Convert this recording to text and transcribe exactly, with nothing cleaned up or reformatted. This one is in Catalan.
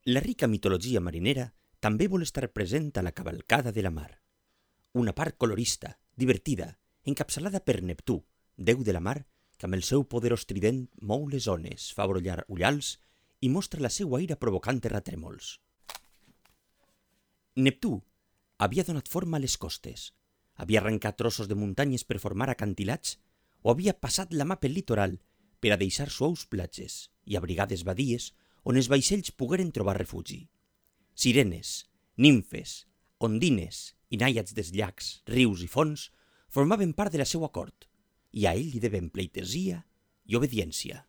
La rica mitologia marinera també vol estar present a la cavalcada de la mar. Una part colorista, divertida, encapçalada per Neptú, déu de la mar, que amb el seu poderós trident mou les ones, fa brollar ullals i mostra la seua ira provocant terratrèmols. Neptú havia donat forma a les costes, havia arrencat trossos de muntanyes per formar acantilats o havia passat la mà pel litoral per a deixar suaus platges i abrigades badies on els vaixells pogueren trobar refugi. Sirenes, nimfes, ondines i nàiads dels llacs, rius i fonts formaven part de la seua cort i a ell li devem pleitesia i obediència.